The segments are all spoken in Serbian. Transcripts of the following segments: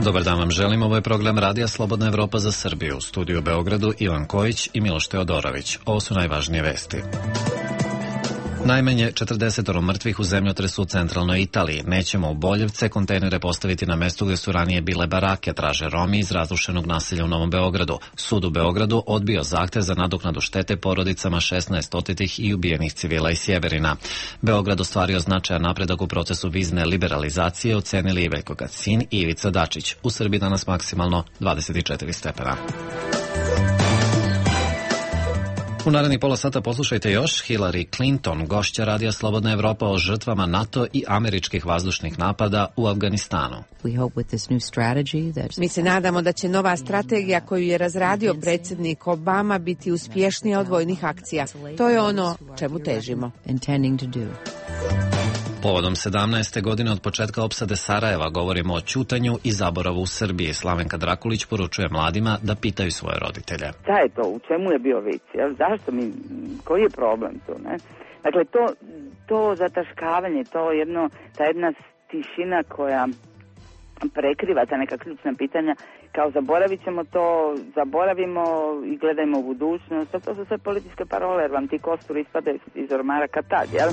Dobar dan vam želim, ovo je program Radija Slobodna Evropa za Srbiju. U studiju u Beogradu Ivan Kojić i Miloš Teodorović. Ovo su najvažnije vesti. Najmanje 40 mrtvih u zemljotresu u centralnoj Italiji. Nećemo u Boljevce kontejnere postaviti na mestu gde su ranije bile barake, traže Romi iz razrušenog naselja u Novom Beogradu. Sud u Beogradu odbio zahtev za nadoknadu štete porodicama 16 otetih i ubijenih civila iz Sjeverina. Beograd ostvario značajan napredak u procesu vizne liberalizacije, ocenili i Veljko Kacin i Ivica Dačić. U Srbiji danas maksimalno 24 stepena. U narednih pola sata poslušajte još Hillary Clinton, gošća Radija Slobodna Evropa o žrtvama NATO i američkih vazdušnih napada u Afganistanu. Mi se nadamo da će nova strategija koju je razradio predsjednik Obama biti uspješnija od vojnih akcija. To je ono čemu težimo. Povodom 17. godine od početka opsade Sarajeva govorimo o ćutanju i zaboravu u Srbiji. Slavenka Drakulić poručuje mladima da pitaju svoje roditelje. Šta je to? U čemu je bio vic? Zašto koji je problem tu? Ne? Dakle, to zataškavanje, ta jedna tišina koja prekriva ta neka ključna pitanja, kao zaboravit ćemo to, zaboravimo i gledajmo u budućnost. To su sve političke parole, jer vam ti kosturi ispadaju iz ormara kad tad, jel?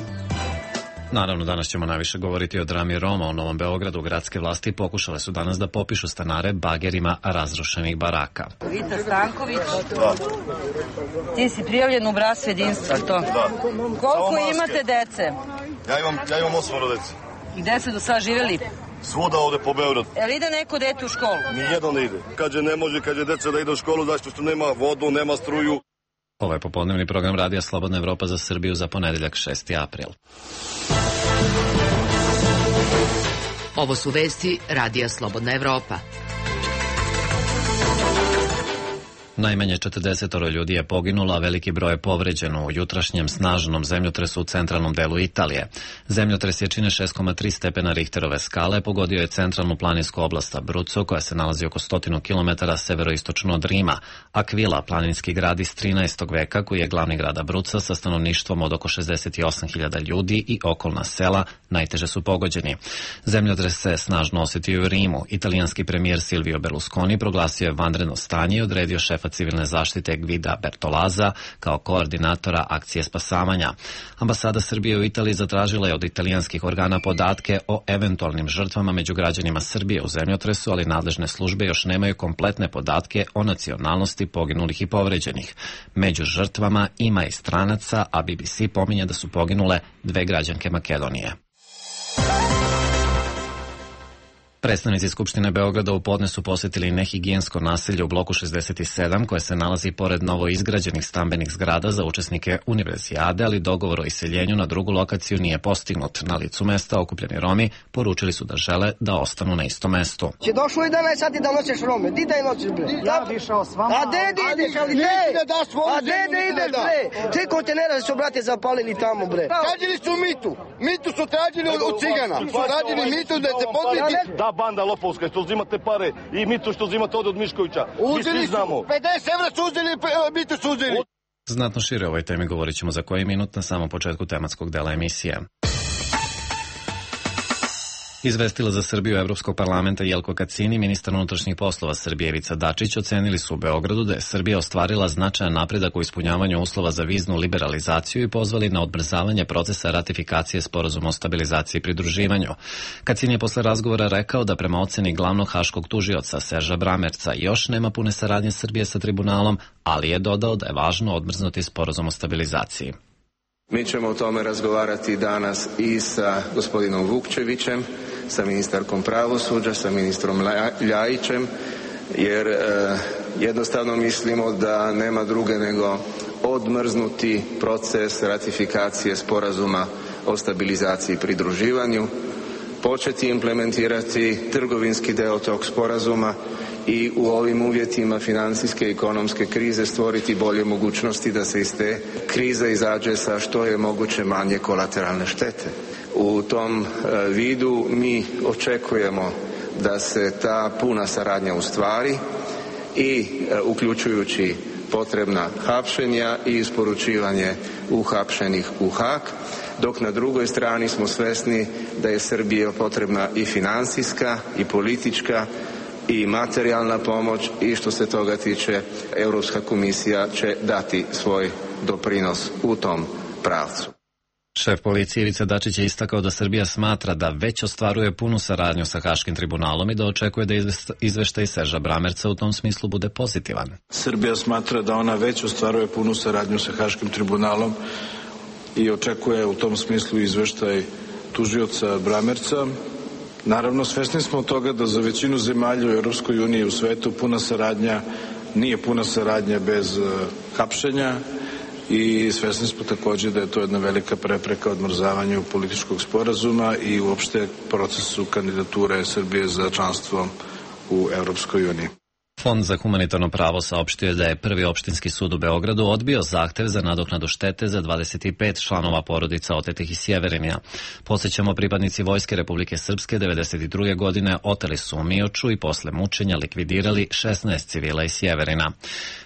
Naravno, danas ćemo najviše govoriti o drami Roma u Novom Beogradu. Gradske vlasti pokušale su danas da popišu stanare bagerima razrušenih baraka. Vita Stanković, ti si prijavljen u bratstvo jedinstva, to? Koliko imate dece? Ja imam 8 dece. I gde se do sada živjeli? Svuda ovde po Beogradu. Jel ide neko dete u školu? Nijedno ne ide. Kaže ne može, deca da ide u školu, zašto što nema vodu, nema struju. Ovo je popodnevni program Radija Slobodna Evropa za Srbiju za ponedeljak 6. april. Ovo su vesti Radija Slobodna Evropa. Najmanje 40 ljudi je poginulo, a veliki broj je povređeno u jutrašnjem snažnom zemljotresu u centralnom delu Italije. Zemljotres jačine 6,3 stepena Richterove skale pogodio je centralnu planinsku oblast Abruzzo, koja se nalazi oko 100 km severoistočno od Rima. Aquila, planinski grad iz 13. veka, koji je glavni grad Abruzza sa stanovništvom od oko 68.000 ljudi i okolna sela, najteže su pogođeni. Zemljotres se snažno osjetio u Rimu. Italijanski premijer Silvio Berlusconi proglasio je vanredno stanje i odredio šefa civilne zaštite Gvida Bertolaza kao koordinatora akcije spasavanja. Ambasada Srbije u Italiji zatražila je od italijanskih organa podatke o eventualnim žrtvama među građanima Srbije u zemljotresu, ali nadležne službe još nemaju kompletne podatke o nacionalnosti poginulih i povređenih. Među žrtvama ima i stranaca, a BBC pominje da su poginule 2 građanke Makedonije. Predstavnici Skupštine Beograda u podne su posjetili nehigijensko naselje u bloku 67 koje se nalazi pored novo izgrađenih stambenih zgrada za učesnike univerzijade, ali dogovor o iseljenju na drugu lokaciju nije postignut. Na licu mesta okupljeni Romi poručili su da žele da ostanu na istom mestu. Će došlo 11 sati da noćeš Rome, di da je noćeš bre? Ja bi išao s vama. A gde ideš, ali gde ideš bre? 3 kontenera su brate zapalili tamo bre. Tražili su mitu su tražili od cigana, su tražili mitu da se podmiti. Ta banda lopovska što uzimate pare i mitu što uzimate od Miškovića. Uzeli su, 50 evra su uzeli, mitu su uzeli. Znatno šire o ovoj temi govorit ćemo za koji minut na samom početku tematskog dela emisije. Izvestila za Srbiju Evropskog parlamenta Jelko Kacin i ministar unutrašnjih poslova Srbije Ivica Dačić ocenili su u Beogradu da je Srbija ostvarila značajan napredak u ispunjavanju uslova za viznu liberalizaciju i pozvali na odbrzavanje procesa ratifikacije sporazuma o stabilizaciji i pridruživanju. Kacin je posle razgovora rekao da prema oceni glavnog haškog tužioca Serža Bramerca još nema pune saradnje Srbije sa tribunalom, ali je dodao da je važno odmrznuti sporazum o stabilizaciji. Mi ćemo o tome razgovarati danas i sa gospodinom Vukčevićem, sa ministarkom pravosuđa, sa ministrom Ljajićem, jer jednostavno mislimo da nema druge nego odmrznuti proces ratifikacije sporazuma o stabilizaciji i pridruživanju, početi implementirati trgovinski deo tog sporazuma i u ovim uvjetima financijske i ekonomske krize stvoriti bolje mogućnosti da se iz te krize izađe sa što je moguće manje kolateralne štete. U tom vidu mi očekujemo da se ta puna saradnja ostvari i uključujući potrebna hapšenja i isporučivanje uhapšenih u Haag, dok na drugoj strani smo svesni da je Srbiji potrebna i financijska i politička i materijalna pomoć i što se toga tiče Europska komisija će dati svoj doprinos u tom pravcu. Šef policije Ivica Dačić je istakao da Srbija smatra da već ostvaruje punu saradnju sa Haškim tribunalom i da očekuje da izveštaj Serža Bramerca u tom smislu bude pozitivan. Srbija smatra da ona već ostvaruje punu saradnju sa Haškim tribunalom i očekuje u tom smislu izveštaj tužioca Bramerca. Naravno, svesni smo toga da za većinu zemalja u Europskoj uniji i u svetu puna saradnja nije puna saradnja bez hapšenja i svesni smo također da je to jedna velika prepreka odmrzavanju političkog sporazuma i uopšte procesu kandidature Srbije za članstvo u Europskoj uniji. Fond za humanitarno pravo saopštio je da je Prvi opštinski sud u Beogradu odbio zahtev za nadoknadu štete za 25 članova porodica otetih iz Sjeverinja. Podsjećamo, pripadnici Vojske Republike Srpske 1992. godine oteli su u Mioču i posle mučenja likvidirali 16 civila iz Sjeverina.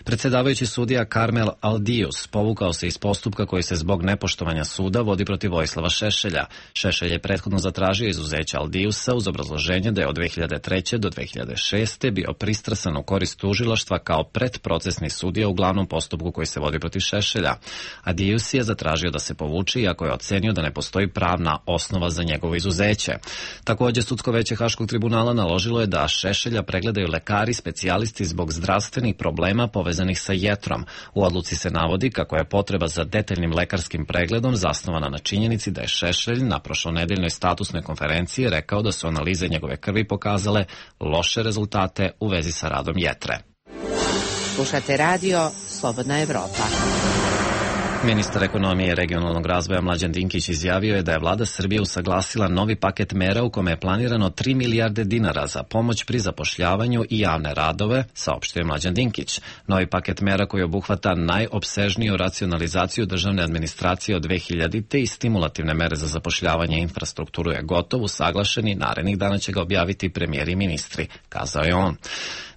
Predsjedavajući sudija Karmel Aldijus povukao se iz postupka koji se zbog nepoštovanja suda vodi protiv Vojislava Šešelja. Šešelj je prethodno zatražio izuzeće Aldijusa uz obrazloženje da je od 2003. do 2006. bio pristrasan u korist tužilaštva kao predprocesni sudija u glavnom postupku koji se vodi protiv Šešelja. Aldijus je zatražio da se povuče iako je ocenio da ne postoji pravna osnova za njegovo izuzeće. Također, sudsko veće Haškog tribunala naložilo je da Šešelja pregledaju lekari specijalisti zbog zdravstvenih problema povezanih sa jetrom. U odluci se navodi kako je potreba za detaljnim lekarskim pregledom zasnovana na činjenici da je Šešelj na prošlonedeljnoj statusnoj konferenciji rekao da su analize njegove krvi pokazale loše rezultate u vezi sa radom jetre. Slušate radio Slobodna Evropa. Ministar ekonomije i regionalnog razvoja Mlađan Dinkić izjavio je da je vlada Srbije usaglasila novi paket mera u kome je planirano 3 milijarde dinara za pomoć pri zapošljavanju i javne radove, saopštio je Mlađan Dinkić. Novi paket mera koji obuhvata najopsežniju racionalizaciju državne administracije od 2000-te i stimulativne mere za zapošljavanje i infrastrukturu je gotov, usaglašen i narednih dana će ga objaviti premijeri i ministri, kazao je on.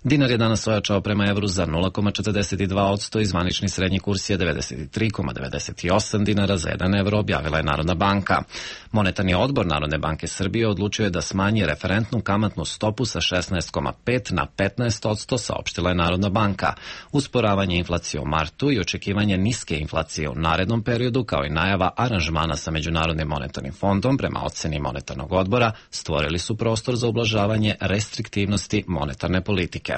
Dinar je danas ojačao prema evru za 0,42% i zvanični srednji kurs je 93,98 dinara za 1 evro, objavila je Narodna banka. Monetarni odbor Narodne banke Srbije odlučio je da smanji referentnu kamatnu stopu sa 16,5 na 15%, saopštila je Narodna banka. Usporavanje inflacije u martu i očekivanje niske inflacije u narednom periodu, kao i najava aranžmana sa Međunarodnim monetarnim fondom prema oceni monetarnog odbora, stvorili su prostor za ublažavanje restriktivnosti monetarne politike.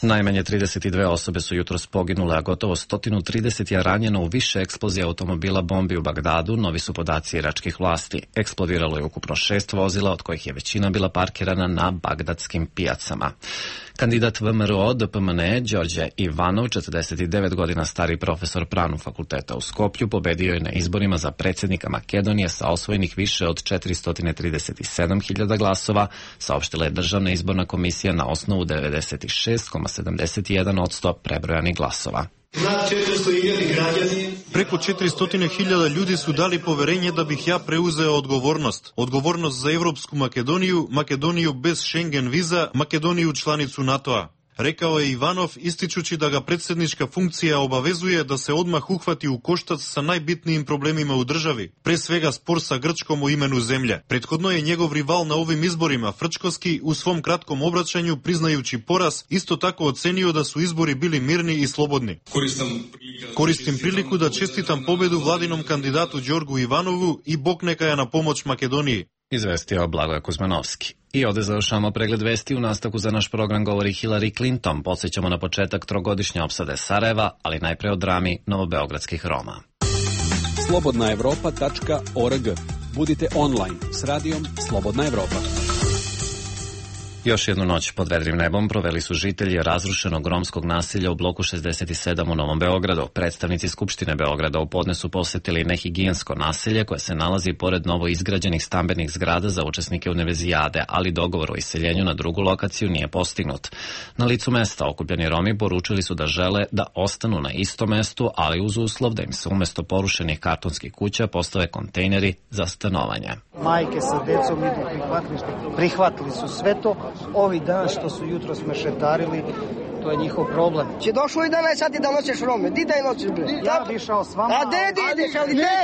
Najmanje 32 osobe su jutros poginule, a gotovo 130 je ranjeno u više eksplozija automobila bombi u Bagdadu, novi su podaci iračkih vlasti. Eksplodiralo je ukupno 6 vozila, od kojih je većina bila parkirana na bagdadskim pijacama. Kandidat VMRO DPMN Đorđe Ivanov, 49 godina stari profesor Pravnog fakulteta u Skoplju, pobedio je na izborima za predsjednika Makedonije sa osvojenih više od 437.000 glasova, saopštila je Državna izborna komisija na osnovu 96,71% prebrojanih glasova. Preko 400.000 ljudi su dali poverenje da bih ja preuzeo odgovornost. Odgovornost za Evropsku Makedoniju, Makedoniju bez Schengen viza, Makedoniju članicu NATO-a. Rekao je Ivanov, ističući da ga predsjednička funkcija obavezuje da se odmah uhvati u koštac sa najbitnijim problemima u državi, pre svega spor sa Grčkom o imenu zemlje. Prethodno je njegov rival na ovim izborima, Frčkovski, u svom kratkom obraćanju, priznajući poraz, isto tako ocenio da su izbori bili mirni i slobodni. Koristim priliku da čestitam pobedu vladinom kandidatu Đorgu Ivanovu i Bog neka je na pomoć Makedoniji. Izvestio Blagoje Kuzmanovski. I ovdje završamo pregled vesti. U nastavku za naš program govori Hillary Clinton. Podsjećamo na početak trogodišnje opsade Sarajeva, ali najpre o drami novobeogradskih Roma. slobodnaevropa.org. Budite online s radijom Slobodna Evropa. Još jednu noć pod vedrim nebom proveli su žitelji razrušenog romskog nasilja u bloku 67 u Novom Beogradu. Predstavnici Skupštine Beograda u podne su posjetili nehigijensko naselje koje se nalazi pored novo izgrađenih stambenih zgrada za učesnike univerzijade, ali dogovor o iseljenju na drugu lokaciju nije postignut. Na licu mesta okupljeni Romi poručili su da žele da ostanu na istom mestu, ali uz uslov da im se umjesto porušenih kartonskih kuća postave kontejneri za stanovanje. Majke sa decom idu prihvatili su sve to. Ovi dan što su jutros mešetarili, to je njihov problem. Če došlo i danas sad da nosiš Rome, di da je nosiš bre? Ja bi išao s vama. A gde ideš, ali gde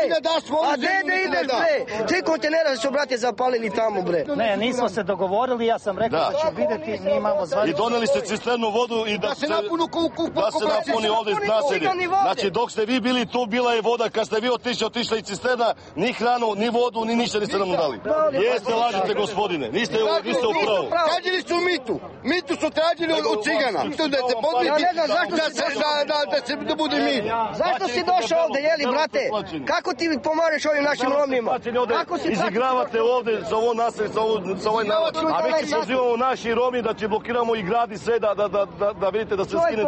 ideš bre? 3 kontenera su brate zapalili tamo bre. Ne, nismo se dogovorili, ja sam rekao da ću vidjeti, mi imamo zvanično. I doneli ste cisternu vodu i da se napuni ovde iz naselja. Znači dok ste vi bili tu, bila je voda, kad ste vi otišla i cisterna, ni hranu, ni vodu, ni ništa niste nam dali. Jeste, lažete gospodine, niste u pravu. Tražili su mitu su tražili od cigana. Da se podmiti, da bude mir. Zašto si došao ovde, jeli brate? Kako ti pomožeš ovim našim Romima? Izigravate ovde za ovo naselje, za ovaj narod. A mi se pozivamo naši Romi da će blokiramo i grad i sve da vidite da se skine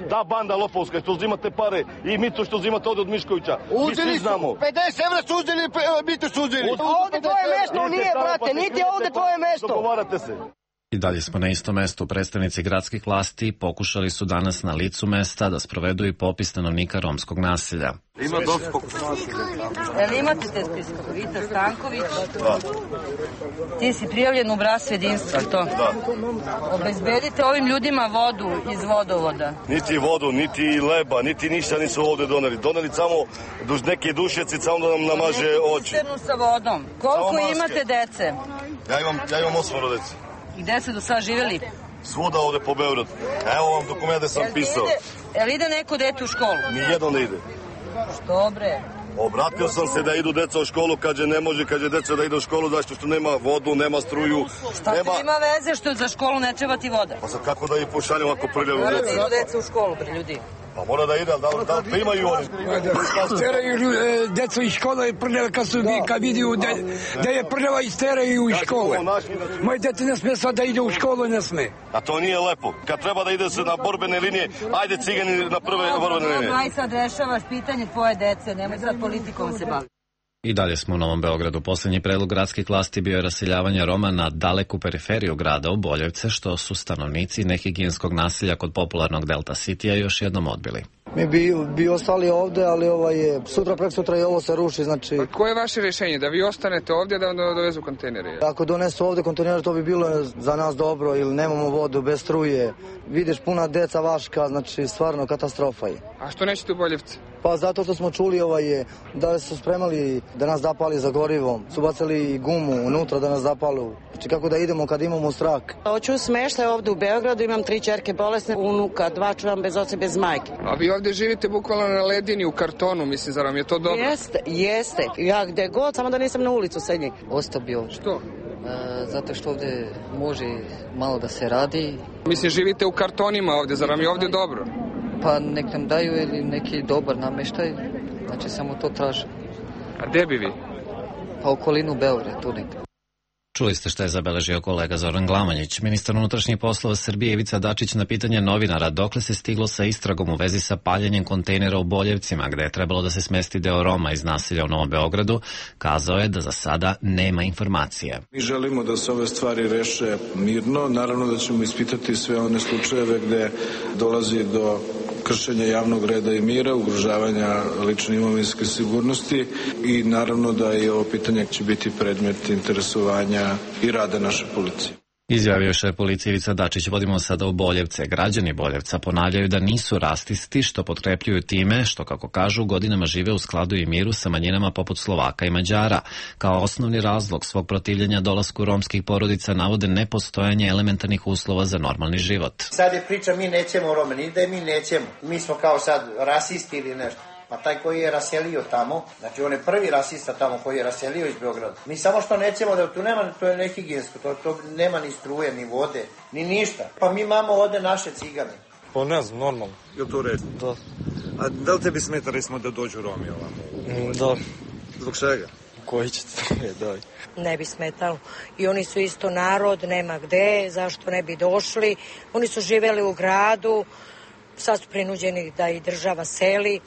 ta banda lopovska što uzimate pare i mito što uzimate ovde od Miškovića. Mi svi znamo. 50 evra su uzeli, mito su uzeli. Ovde tvoje mesto nije, brate, niti ovde tvoje mesto. Dogovarate se. I dalje smo na istom mestu. Predstavnici gradskih vlasti pokušali su danas na licu mesta da sprovedu i popis stanovnika romskog naselja. Ima dosta pokušaja. Jel imate te spiskove? Vita Stanković? Da. Ti si prijavljen u obrascu jedinstva, to? Da. Obezbedite ovim ljudima vodu iz vodovoda. Niti vodu, niti leba, niti ništa nisu ovde doneli. Doneli samo neke dušeci, samo da nam namaže oči. Cisternu sa vodom. Koliko imate dece? Ja imam 8 dece. I gde ste do sada živjeli? Svuda ovde po Beogradu. Evo vam dokument da sam pisao. Jel ide neko dete u školu? Nijedno ne ide. Što bre? Obratio sam se da idu deca u školu, kaže ne može, kaže deca da ide u školu, zašto što nema vodu, nema struju. Šta ti ima veze što za školu ne treba ti voda? Pa sad kako da ih pošaljem ako prljavu deca? Mora da idu deca u školu, bre ljudi. Pa mora da ide, ali da primaju oni. Steraju decu iz škole prljave kad vidiju da je prljava i steraju iz škole. Moje dete ne sme sad da ide u školu, ne sme. A to nije lepo. Kad treba da ide se na borbene linije, ajde cigani na prve borbene linije. Aj sad rešavaš pitanje tvoje dece, nemoj sad politikom se baviti. I dalje smo u Novom Beogradu. Poslednji predlog gradskih vlasti bio je raseljavanje Roma na daleku periferiju grada u Boljevce, što su stanovnici nehigijenskog naselja kod popularnog Delta Citya još jednom odbili. Mi bi ostali ovde, ali sutra, preksutra i ovo se ruši, znači... Pa koje je vaše rješenje? Da vi ostanete ovdje, da vam dovezu kontejnere? Ako donesu ovde kontejnere, to bi bilo za nas dobro, ili nemamo vodu, bez struje. Vidiš, puna deca vaška, znači stvarno katastrofa je. A što nećete u Boljevce? Pa zato što smo čuli da su spremali da nas zapali za gorivom, su bacali gumu unutra da nas zapalu. Znači kako da idemo kad imamo strah. Hoću smeštaj ovde u Beogradu, imam 3 ćerke bolesne, unuka, 2 čuvam bez oca, bez majke. A vi ovde živite bukvalno na ledini u kartonu, mislim, zar vam je to dobro? Jeste. Ja gde god, samo da nisam na ulicu sednji. Ostao bi ovdje. Što? Zato što ovdje može malo da se radi. Mislim, živite u kartonima ovdje, zar vam je ovdje dobro? Pa nek nam daju ili neki dobar nameštaj, znači samo to traže. A gde bi vi? Pa okolinu Beograda, tu neka. Čuli ste šta je zabeležio kolega Zoran Glamonjić. Ministar unutrašnjih poslova Srbije Ivica Dačić na pitanje novinara dokle se stiglo sa istragom u vezi sa paljenjem kontejnera u Boljevcima, gde je trebalo da se smesti deo Roma iz naselja u Novom Beogradu, kazao je da za sada nema informacije. Mi želimo da se ove stvari reše mirno. Naravno da ćemo ispitati sve one slučajeve gde dolazi do kršenja javnog reda i mira, ugrožavanja lične imovinske sigurnosti i naravno da i ovo pitanje će biti predmet interesovanja i rada naše policije. Izjavio šef policije Ivica Dačić. Vodimo sada u Boljevce. Građani Boljevca ponavljaju da nisu rasisti, što potkrepljuju time što, kako kažu, godinama žive u skladu i miru sa manjinama poput Slovaka i Mađara. Kao osnovni razlog svog protivljenja dolasku romskih porodica navode nepostojanje elementarnih uslova za normalni život. Sad je priča mi nećemo Rome, ni da mi nećemo. Mi smo kao sad rasisti ili nešto. Pa taj koji je raselio tamo, znači on je prvi rasista tamo koji je raselio iz Beograda. Mi samo što nećemo da tu nema, to je nehigijensko, to nema ni struje, ni vode, ni ništa. Pa mi imamo ovde naše cigane. Pa ne znam, normalno. Je to red? Da. A da li tebi smeta recimo da dođu Romi ovamo? Da. Zbog čega? Koji ćete? Daj. Ne bi smetalo. I oni su isto narod, nema gde, zašto ne bi došli. Oni su živeli u gradu, sad su prinuđeni da i država seli.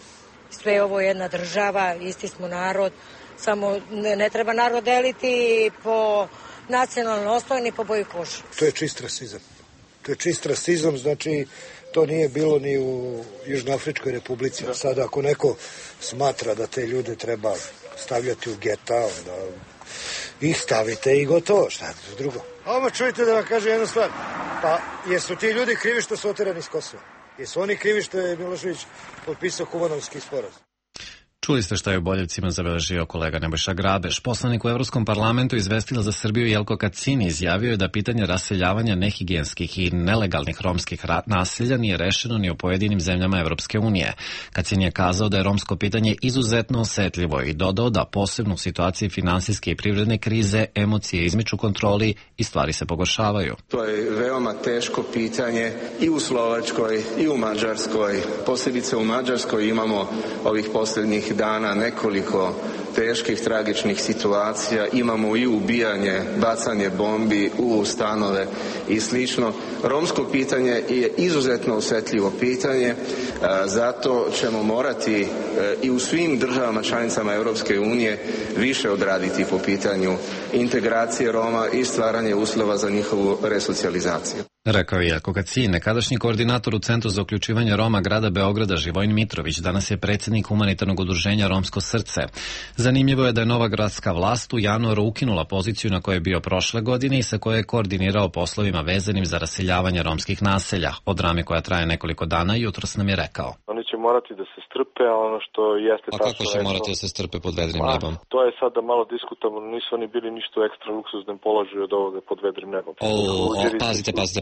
Sve ovo je jedna država, isti smo narod, samo ne treba narod deliti po nacionalnoj osnovi ni po boji kože. To je čist rasizam. To je čist rasizam, znači to nije bilo ni u Južnoafričkoj republici. Sada ako neko smatra da te ljude treba stavljati u geta, onda i stavite i gotovo, šta je to drugo. A ovo čujte da vam kažem jednu stvar, pa jesu ti ljudi krivi što su oterani iz Kosova? Jesu oni krivi što je Milošević potpisao Kumanovski sporazum? Čuli ste šta je u Boljevcima zabeležio kolega Nebojša Grabeš. Poslanik u Evropskom parlamentu izvestila za Srbiju Jelko Kacin izjavio je da pitanje raseljavanja nehigijenskih i nelegalnih romskih naselja nije rešeno ni u pojedinim zemljama Evropske unije. Kacin je kazao da je romsko pitanje izuzetno osetljivo i dodao da posebno u situaciji finansijske i privredne krize emocije izmiču kontroli i stvari se pogoršavaju. To je veoma teško pitanje i u Slovačkoj i u Mađarskoj. Posebice u Mađarskoj imamo ovih posljednjih dana nekoliko teških, tragičnih situacija. Imamo i ubijanje, bacanje bombi u stanove i slično. Romsko pitanje je izuzetno osetljivo pitanje, zato ćemo morati i u svim državama članicama Europske unije više odraditi po pitanju integracije Roma i stvaranje uslova za njihovu resocijalizaciju. Rekao je Jelko Kacin, nekadašnji koordinator u Centru za uključivanje Roma grada Beograda Živojin Mitrović, danas je predsjednik humanitarnog udruženja Romsko srce. Zanimljivo je da je nova gradska vlast u januaru ukinula poziciju na kojoj je bio prošle godine i sa koje je koordinirao poslovima vezanim za raseljavanje romskih naselja. O drami koja traje nekoliko dana jutros nam je rekao. Oni će morati da se strpe, a ono što jeste tačno... A kako će morati da se strpe pod vedrim nebom? To je sada malo diskutabilno, nisu oni bili ništa u ekstra luksuznem položaju od ovoga pod vedrim nebom.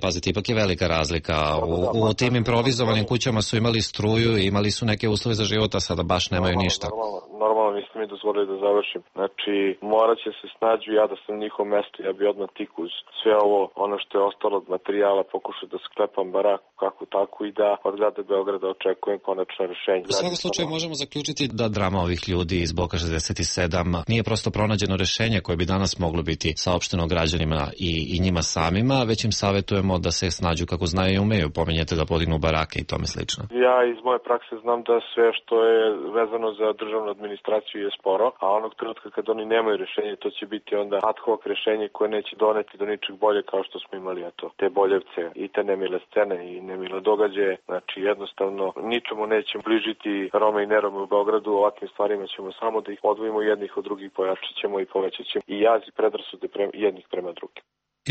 Pazite, ipak je velika razlika. U tim improvizovanim kućama su imali struju i imali su neke uslove za život, a sada baš nemaju ništa. Normalno, niste mi dozvolili da završim. Znači, morat će se snađu, ja da sam na njihovom mestu, ja bi odmah tik uz sve ovo, ono što je ostalo od materijala, pokušao da sklepam baraku kako tako i da od grada Beograda očekujem konačno rešenje. U svakom slučaju možemo zaključiti da drama ovih ljudi iz bloka 67 nije prosto pronađeno rešenje koje bi danas moglo biti saopšteno građanima i njima samima, već im savjetujemo da se snađu kako znaju i umeju, pominjete da podignu barake i tome slično. Ja iz moje prakse znam da sve što je vezano za državnu administraciju je sporo, a onog trenutka kad oni nemaju rešenje, to će biti onda ad hoc rešenje koje neće doneti do ničeg bolje kao što smo imali, a to te Boljevce i te nemile scene i nemile događaje. Znači jednostavno ničemu nećemo bližiti Rome i nerome u Beogradu, ovakvim stvarima ćemo samo da ih odvojimo jednih od drugih, pojačat ćemo i povećat ćemo i jaz i predrasude jednih prema drugim.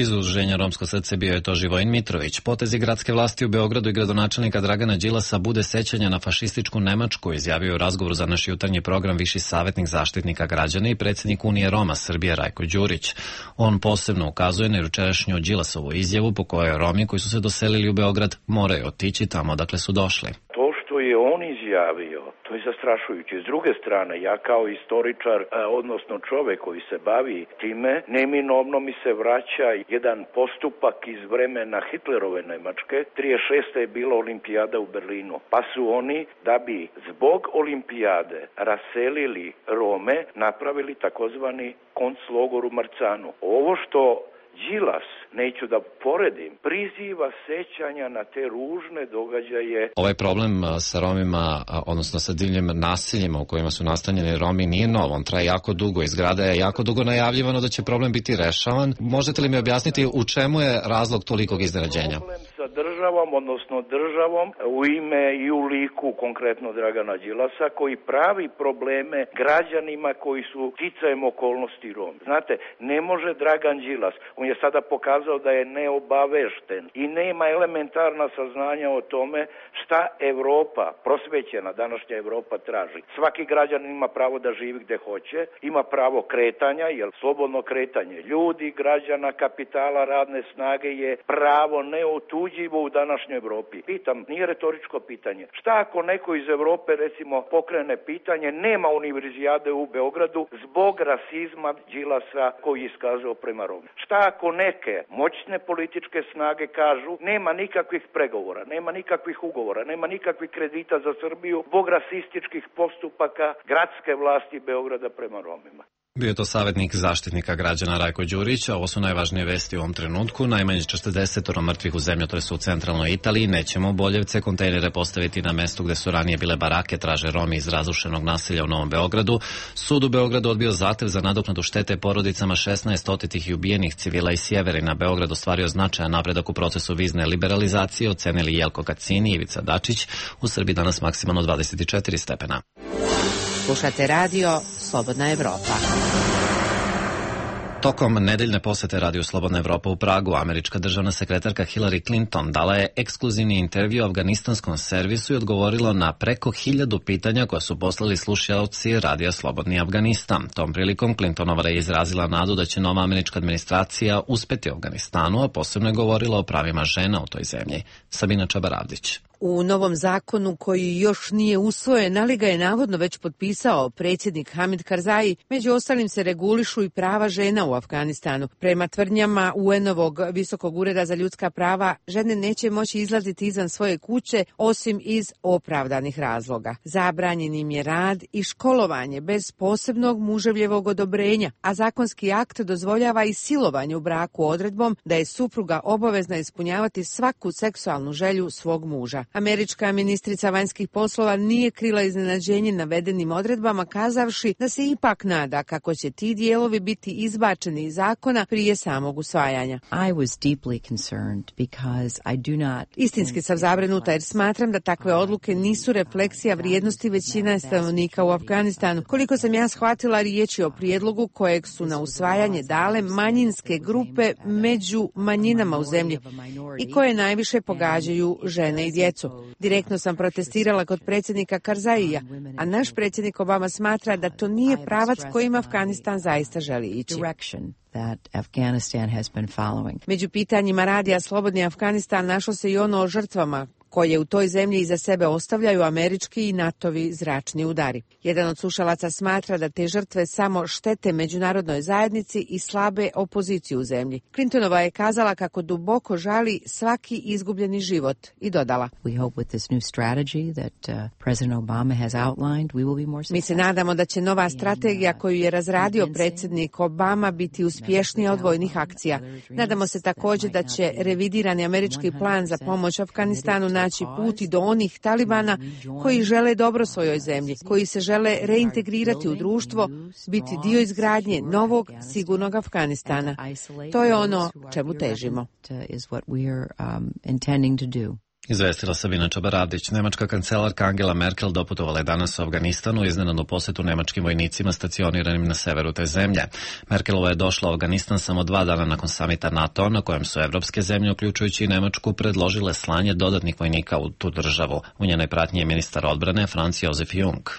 Iz udruženja Romsko srce bio je to Živojin Mitrović. Potezi gradske vlasti u Beogradu i gradonačelnika Dragana Đilasa bude sećanja na fašističku Nemačku, izjavio u razgovoru za naš jutarnji program viši savjetnik zaštitnika građana i predsjednik Unije Roma Srbije Rajko Đurić. On posebno ukazuje na jučerašnju Đilasovu izjavu po kojoj Romi koji su se doselili u Beograd moraju otići tamo odakle su došli. To što je on izjavio, to je zastrašujuće. S druge strane, ja kao istoričar, odnosno čovek koji se bavi time, neminovno mi se vraća jedan postupak iz vremena Hitlerove Nemačke. 36. je bila olimpijada u Berlinu. Pa su oni, da bi zbog olimpijade raselili Rome, napravili takozvani konclogor u Marcanu. Ovo što Đilas, neću da poredim, priziva sećanja na te ružne događaje. Ovaj problem sa Romima, odnosno sa divljim naseljima u kojima su nastanjeni Romi nije nov, on traje jako dugo. Iz grada je jako dugo najavljivano da će problem biti rešavan. Možete li mi objasniti u čemu je razlog tolikog iznenađenja? Problem sa državom, odnosno državom u ime i u liku konkretno Dragana Đilasa, koji pravi probleme građanima koji su sticajem okolnosti Romi. Znate, ne može Dragan Đilas, on je sada pokazao da je neobavešten i nema elementarna saznanja o tome šta Evropa, prosvećena današnja Evropa traži. Svaki građanin ima pravo da živi gde hoće, ima pravo kretanja, jer slobodno kretanje ljudi, građana, kapitala, radne snage je pravo neotuđivo u današnjoj Evropi. Pitam, nije retoričko pitanje. Šta ako neko iz Evrope recimo pokrene pitanje, nema univerzijade u Beogradu zbog rasizma Đilasa koji je iskazao prema Romima? Šta ako neke moćne političke snage kažu nema nikakvih pregovora, nema nikakvih ugovora, nema nikakvih kredita za Srbiju zbog rasističkih postupaka gradske vlasti Beograda prema Romima? Bio je to savjetnik zaštitnika građana Rajko Đurić, a ovo su najvažnije vesti u ovom trenutku. Najmanje 40 mrtvih u zemljotresu u centralnoj Italiji. Nećemo Boljevce kontejnere postaviti na mestu gde su ranije bile barake, traže Romi iz razrušenog naselja u Novom Beogradu. Sud u Beogradu odbio zahtev za nadoknadu štete porodicama 16 otetih i ubijenih civila iz Sjeverina. Beograd ostvario značajan napredak u procesu vizne liberalizacije, ocenili Jelko Kacin i Ivica Dačić. U Srbiji danas maksimalno 24 stepena. Slušate radio Slobodna Evropa. Tokom nedeljne posete Radio Slobodna Evropa u Pragu, američka državna sekretarka Hillary Clinton dala je ekskluzivni intervju afganistanskom servisu i odgovorila na preko 1000 pitanja koja su poslali slušaoci Radija Slobodni Afganistan. Tom prilikom Clintonova je izrazila nadu da će nova američka administracija uspeti u Afganistanu, a posebno je govorila o pravima žena u toj zemlji. Sabina Čabaravdić. U novom zakonu koji još nije usvojen, ali ga je navodno već potpisao predsjednik Hamid Karzai, među ostalim se regulišu i prava žena u Afganistanu. Prema tvrdnjama UN-ovog Visokog ureda za ljudska prava, žene neće moći izlaziti izvan svoje kuće osim iz opravdanih razloga. Zabranjen im je rad i školovanje bez posebnog muževljevog odobrenja, a zakonski akt dozvoljava i silovanje u braku odredbom da je supruga obavezna ispunjavati svaku seksualnu želju svog muža. Američka ministrica vanjskih poslova nije krila iznenađenje navedenim odredbama, kazavši da se ipak nada kako će ti dijelovi biti izbačeni iz zakona prije samog usvajanja. Istinski sam zabrinuta jer smatram da takve odluke nisu refleksija vrijednosti većine stanovnika u Afganistanu. Koliko sam ja shvatila, riječ je o prijedlogu kojeg su na usvajanje dale manjinske grupe među manjinama u zemlji i koje najviše pogađaju žene i djecu. Direktno sam protestirala kod predsjednika Karzaija, a naš predsjednik Obama smatra da to nije pravac kojim Afganistan zaista želi ići. Među pitanjima Radija Slobodni Afganistan našlo se i ono o žrtvama koje u toj zemlji iza sebe ostavljaju američki i NATO-vi zračni udari. Jedan od slušalaca smatra da te žrtve samo štete međunarodnoj zajednici i slabe opoziciju u zemlji. Clintonova je kazala kako duboko žali svaki izgubljeni život i dodala: Mi se nadamo da će nova strategija koju je razradio predsjednik Obama biti uspješnija od vojnih akcija. Nadamo se također da će revidirani američki plan za pomoć Afganistanu naći put i do onih talibana koji žele dobro svojoj zemlji, koji se žele reintegrirati u društvo, biti dio izgradnje novog, sigurnog Afganistana. To je ono čemu težimo. Izvestila Sabina Čabaravdić. Nemačka kancelarka Angela Merkel doputovala je danas u Afganistanu u iznenadnu posjetu nemačkim vojnicima stacioniranim na severu te zemlje. Merkelova je došla u Afganistan samo 2 dana nakon samita NATO, na kojem su evropske zemlje, uključujući i Nemačku, predložile slanje dodatnih vojnika u tu državu. U njenoj pratnji je ministar odbrane Franz Josef Jung.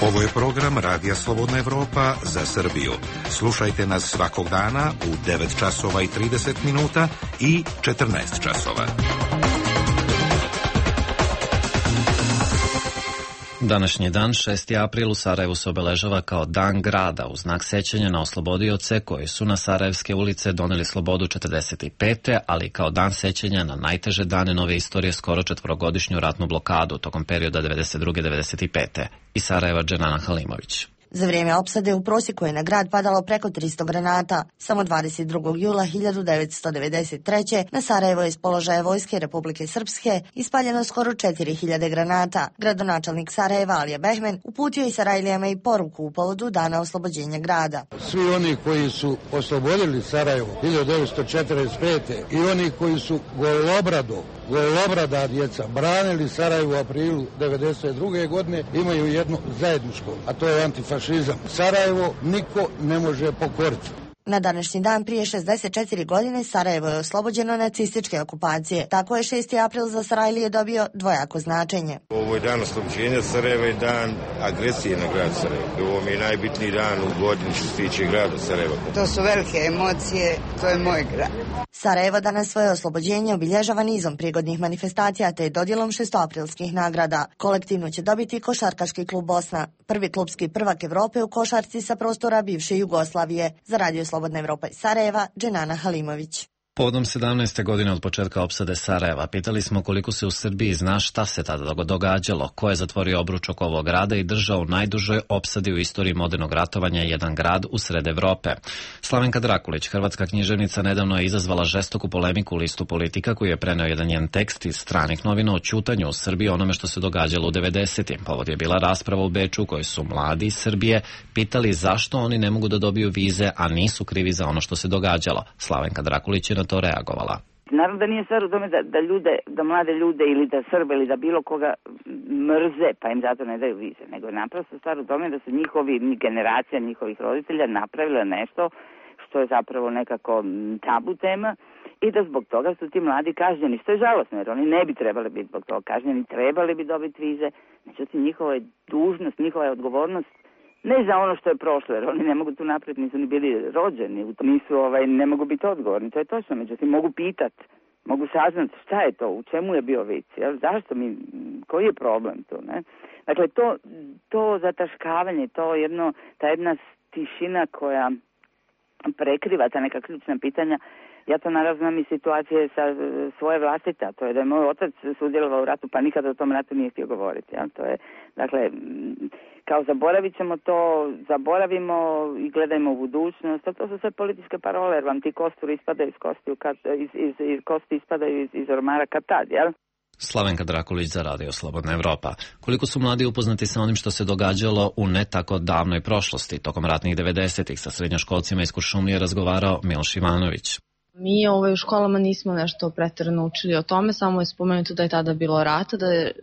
Ovo je program Radija Slobodna Evropa za Srbiju. Slušajte nas svakog dana u 9 časova i 30 minuta i 14 časova. Današnji dan, 6. april, u Sarajevu se obeležava kao Dan grada u znak sećanja na oslobodioce koji su na sarajevske ulice doneli slobodu 45. ali kao dan sećanja na najteže dane nove istorije, skoro 4-godišnju ratnu blokadu tokom perioda 92-95. Iz Sarajeva Dženana Halimović. Za vrijeme opsade u prosjeku je na grad padalo preko 300 granata. Samo 22. jula 1993. na Sarajevo je iz položaja Vojske Republike Srpske ispaljeno skoro 4000 granata. Gradonačelnik Sarajeva Alija Behmen uputio je Sarajlijama i poruku u povodu dana oslobođenja grada. Svi oni koji su oslobodili Sarajevo 1945. i oni koji su golobrada djeca branili Sarajevo u aprilu 1992. godine imaju jedno zajedničko, a to je antifašizam. Sarajevo niko ne može pokoriti. Na današnji dan prije 64 godine Sarajevo je oslobođeno nacističke okupacije. Tako je 6. april za Sarajlije dobio dvojako značenje. Ovo je dan oslobođenja Sarajeva i dan agresije na grad Sarajevo. Ovo mi je najbitniji dan u godini što se tiče grada Sarajeva. To su velike emocije, to je moj grad. Sarajevo danas svoje oslobođenje obilježava nizom prigodnih manifestacija te dodjelom 6-aprilskih nagrada. Kolektivno će dobiti Košarkaški klub Bosna, prvi klubski prvak Evrope u košarci sa prostora bivše Jugoslavije. Za Radio Slobodna Evropa iz Sarajeva, Dženana Halimović. Povodom 17. godine od početka opsade Sarajeva pitali smo koliko se u Srbiji zna šta se tada događalo, ko je zatvorio obruč oko ovog grada i držao u najdužoj opsadi u istoriji modernog ratovanja jedan grad u sred Evrope. Slavenka Drakulić, hrvatska književnica, nedavno je izazvala žestoku polemiku u listu Politika koji je preneo jedan njen tekst iz stranih novina o ćutanju u Srbiji onome što se događalo u 90. Povod je bila rasprava u Beču u kojoj su mladi iz Srbije pitali zašto oni ne mogu da dobiju vize, a nisu krivi za ono što se događalo. Slavenka Drakulić je na to reagovala. Naravno da nije stvar u tome da mlade ljude ili da Srbe ili da bilo koga mrze pa im zato ne daju vize, nego je naprosto stvar u tome da su generacija njihovih roditelja napravila nešto što je zapravo nekako tabu tema i da zbog toga su ti mladi kažnjeni, što je žalosno jer oni ne bi trebali biti zbog toga kažnjeni, trebali bi dobiti vize, međutim njihova je dužnost, njihova je odgovornost ne za ono što je prošlo, jer oni ne mogu tu naprijed, nisu ni bili rođeni, ne mogu biti odgovorni, to je točno, međutim mogu pitati, mogu saznati šta je to, u čemu je bio vic, zašto koji je problem tu, ne? Dakle, to zataškavanje, ta jedna tišina koja prekriva ta neka ključna pitanja, ja to naravno znam iz situacije sa svoje vlastite, to je da je moj otac sudjelovao u ratu, pa nikada o tom ratu nije htio govoriti. Ja? To je, dakle, kao zaboravit ćemo to, zaboravimo i gledajmo u budućnost, a to su sve političke parole, jer vam ti kosturi ispadaju iz kosti ispadaju iz ormara kad tad, jel? Slavenka Drakulić za Radio Slobodna Evropa. Koliko su mladi upoznati sa onim što se događalo u ne tako davnoj prošlosti? Tokom ratnih 90-ih sa srednjoškolcima iz Kuršumlije razgovarao Miloš Ivanović. Mi u školama nismo nešto preterano učili o tome, samo je spomenuto da je tada bilo rata,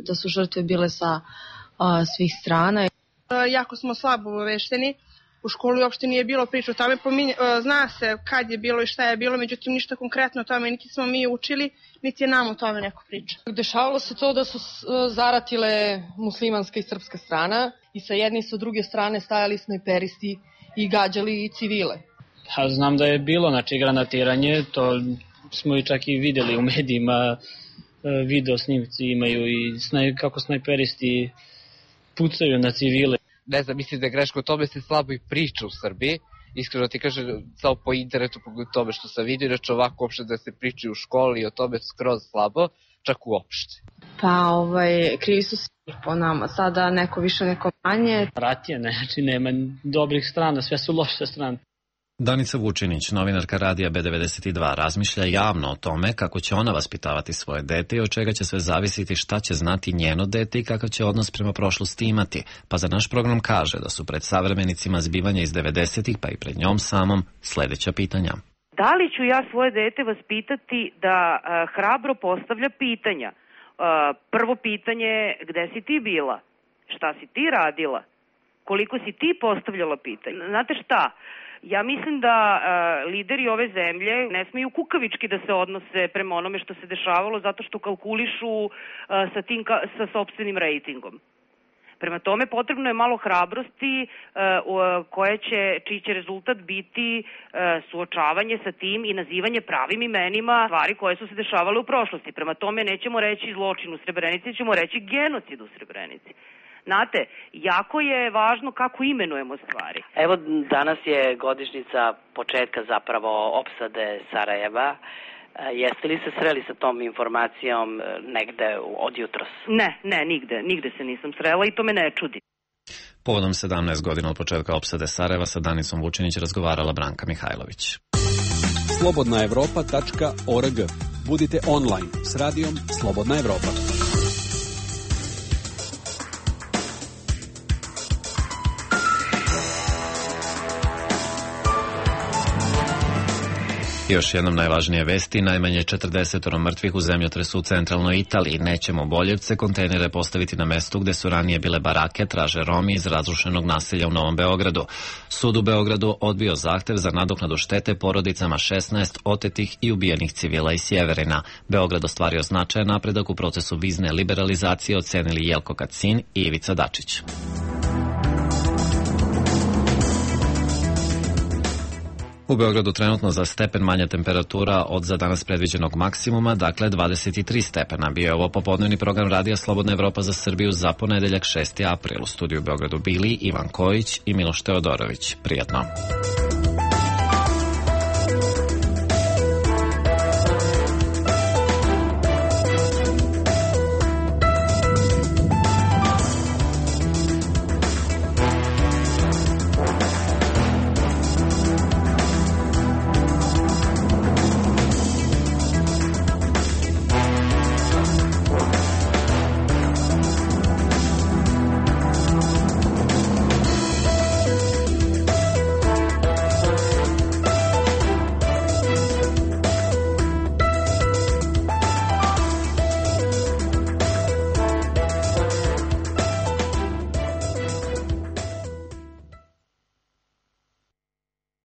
da su žrtve bile sa svih strana. Jako smo slabo obavešteni, u školi uopšte nije bilo priča o tome, zna se kad je bilo i šta je bilo, međutim ništa konkretno o tome, niti smo mi učili, niti je nam o tome neko priča. Dešavalo se to da su zaratile muslimanska i srpska strana i sa jedne i sa druge strane stajali snajperisti i gađali civile. Znam da je bilo granatiranje, to smo i čak i videli u medijima, video snimci imaju i kako snajperisti pucaju na civile. Ne znam, mislim da je greško, o tome se slabo i priča u Srbiji, iskreno ti kažem, samo po internetu pogled tome što sam vidio, inače ovako uopšte da se priča u školi i o tome skroz slabo, čak uopšte. Pa krivi su svi po nama, sada neko više, neko manje. Rat je, nema dobrih strana, sve su loše strane. Danica Vučinić, novinarka radija B92, razmišlja javno o tome kako će ona vaspitavati svoje dete i od čega će sve zavisiti šta će znati njeno dete i kakav će odnos prema prošlosti imati. Pa za naš program kaže da su pred savremenicima zbivanja iz 90-ih, pa i pred njom samom, sledeća pitanja. Da li ću ja svoje dete vaspitati da hrabro postavlja pitanja? Prvo pitanje, gde si ti bila? Šta si ti radila? Koliko si ti postavljala pitanja? Znate šta? Ja mislim da lideri ove zemlje ne smeju kukavički da se odnose prema onome što se dešavalo zato što kalkulišu sa sopstvenim rejtingom. Prema tome potrebno je malo hrabrosti čiji će rezultat biti suočavanje sa tim i nazivanje pravim imenima stvari koje su se dešavale u prošlosti. Prema tome nećemo reći zločin u Srebrenici, ćemo reći genocid u Srebrenici. Znate, jako je važno kako imenujemo stvari. Evo, danas je godišnjica početka zapravo opsade Sarajeva. Jeste li se sreli sa tom informacijom negde od jutros? Ne, nigde se nisam srela i to me ne čudi. Povodom 17 godina od početka opsade Sarajeva sa Danicom Vučinić razgovarala Branka Mihajlović. slobodnaevropa.org. Budite online s radijom Slobodna Evropa. Još jednom najvažnije vesti, najmanje 40 mrtvih u zemljotresu u centralnoj Italiji. Nećemo Boljevce kontejnere postaviti na mestu gde su ranije bile barake, traže Romi iz razrušenog naselja u Novom Beogradu. Sud u Beogradu odbio zahtev za nadoknadu štete porodicama 16 otetih i ubijenih civila iz Sjeverina. Beograd ostvario značajan napredak u procesu vizne liberalizacije, ocenili Jelko Kacin i Ivica Dačić. U Beogradu trenutno za stepen manja temperatura od za danas predviđenog maksimuma, dakle 23 stepena. Bio je ovo popodnevni program Radija Slobodna Evropa za Srbiju za ponedeljak 6. april. U studiju u Beogradu bili Ivan Kojić i Miloš Teodorović. Prijatno.